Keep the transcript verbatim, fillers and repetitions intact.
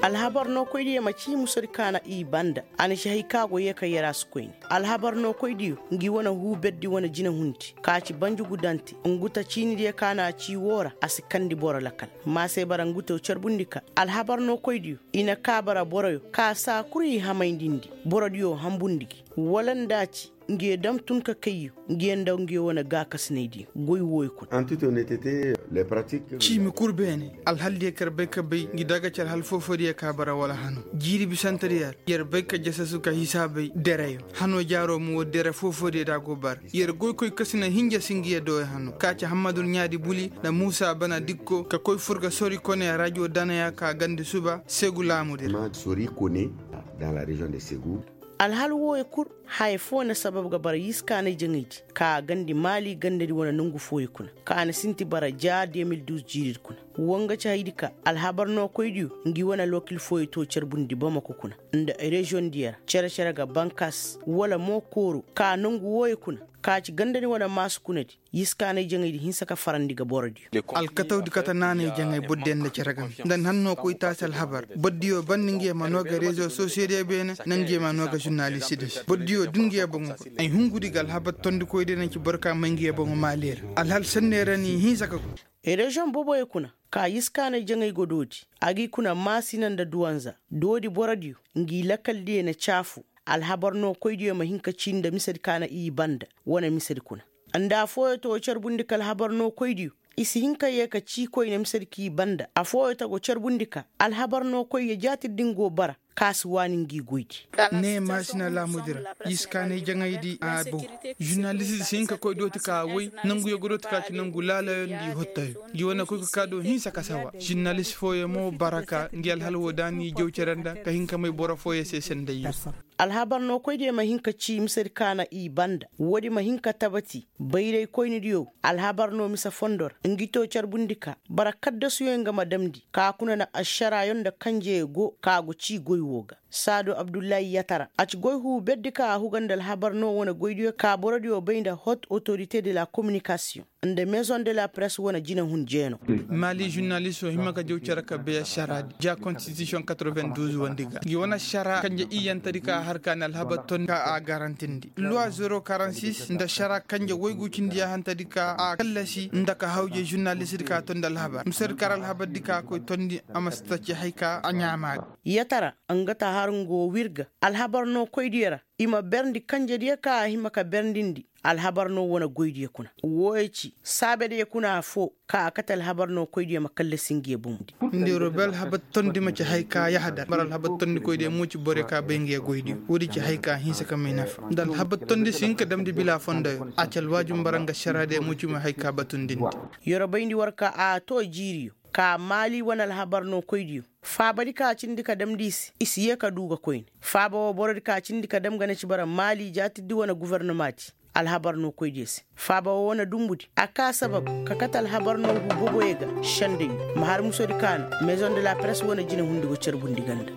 Alhabar nookoydiyo ma ci musadi ka na i banda. A na ci hay ka go yee ka yaraasi koyne. Alhabar nookoydiyo ngi wane huu berdi wane jinahundi ka ci banjugu dante, ngu ta ciinidiyo ka na a ci woo ra a si kandi boro lakal. Ma se bara ngu to carbundi ka alhabar nookoydiyo i na kaa bara boroyo ka saa kul i hamayndi ndi borodiyo hambundi gi. Wala nda a ci ngiyo dam tun ka kayyo ngiyo nda ngiyo wane gaakasinaydiyo goy wooyo kuna. Ciimi kul beene, alhaldiyo kaŋ yer bay ka bay ngi daga ci alhal foofodiyo ka bara wala hano jiiri bisantediyo ra. Yer bay ka jasasu ka hisaabay dereyo. Hano jaaro mo woodi dere foofodiyo da a go bara. Yer goykoy kasina hinja si ngiyo dooyo hano ka ci hammadu ɲaadi buli nda muusa bana dikko ka koy fur ga sori kone rajo danaya ka gandi suba segu laamudi ra. Alhal wooyo kul haya foo na sabab ga bara yiskaanay jaŋaydi ka a gandi maali gandadi wane nongu fooyo kuna ka a na sinti bara ja de mil duuz jiiridi kuna. Woo nga ci haydi ka alhabar nookoydiyo ngi wane alwakil fooyo to carbundi bamako kuna nda reziyoŋdiyo ra cere-cere ga bankas wala mo kooru ka nongu wooyo kuna ka ci gandadi wane maasu kunadi. Yiskaanay jaŋaydi hinsa ka farandi ga borodiyo. Alkatawdi kate naanay jaŋay bordiyo nda cere game nda ni hannoo koytaasi alhabar bordiyo banda ngiyo ma noo ga rezo sosiyediyo beene nda ngiyo ma noo ga zurnalistidi se bordiyo da ngiyo boŋo koy ay hungudi ga alhabar tondikoydiyo na ci boro ka may ngiyo boŋo maali ra. Alhal sanney ra n'i hinsa ka koy. Reziyoŋ boboyo kuna ka yiskaanay jaŋay go doodi a g'i kuna maasina nda duwanza doodi borodiyo ngi lakaldiyo na caafu. Alhabar nookoydiyo ma hin ka cii nda misedi ka na i banda wane misedi kuna. Nda afooyo to carbundi ka alhabar nookoydiyo i si hin ka yee ka cii koyne misedi k'i banda afooyo ta go carbundi ka alhabar nookoyyo jaatidi din go bara ka si waani ngi goydi. Ne maasina laamudi ra yiskaanay jaŋaydi a boŋ. Zurnalistidi si hin ka koy dooti ka woy nonguyo ga dooti ka ci nongu laalayo nda i hottoyo. Ngi wane koy ka kaa do hinsa ka sawa zurnalist fooyo mo bara ka ngi alhal woo da n'i jaw cere nda ka hin ka may boro fooyo se sendayyo. Alhabar nookoydiyo ma hin ka cii misedi ka na i banda woodi ma hin ka tabati bayraykoynidiyo. Alhabar noo mise fondo ra ngi too carbundi ka bara kaddasuyo nga ma damndi ka kuna na ašaraayo nda kanjeyo go ka go cii goy woo ga. Saadu abdullahi yatara a ci goy huu berdi ka a huga nda alhabar noo wane goydiyo ka borodiyo bay nda hot otorite de la kominikasiyoŋ nda mezoŋ de la press wane jinahun jeenoo. Maali zurnalistoo hima ka jaw cere ka bay ašaraadi ja konstitisiyoŋ katorobenduz wandi ga ngi wane ašaraa kanje iyyantadi ka a har ka ni alhabar ton ka a garantindi luwa zero karansis nda ašaraa kanje woygu cindi yaahantadi ka a kallasi nda ka hawjay zurnalistidi ka a tondi alhabar misedi kar alhabardi ka a koy tondi a ma si ta ci hay ka a ɲaama ga. Yatara nga ta har nga woo wir ga alhabar nookoydiyo ra i ma berndi kanjediyo ka a hima ka berndindi alhabar noo wane goydiyo kuna. Wooyo ci saabediyo kuna afoo ka a kate alhabar nookoydiyo ma kallasi ngiyo boŋ. Nda yer wo bay alhabar tondi ma ci hay ka yahadar bara alhabar tondikoydiyo mo ci borey ka bay ngiyo goydiyo woodi ci hay ka hinsa ka may nafa nda alhabar tondi si hin ka damndi bila fondoyo a ci alwaajib bara nga ašaraadiyo mo ci ma hay ka batundindi. Yer wo bayndi war ka a too jiiriyo ka maali wane alhabar nookoydiyo faabadi ka cindi ka damndi i se i si yee ka duu ga koyne. Faaba woo borodi ka cindi ka dam ga na ci bara maali jaatiddi wane gofornomaadi alhabar nookoydiyo se. Faaba woo wane dumbudi a kaa sabab ka kate alhabar noo huu boboyo ga sendayyo ma har musodi ka na mezoŋ de la press wane jinehundi go carbundi ganda.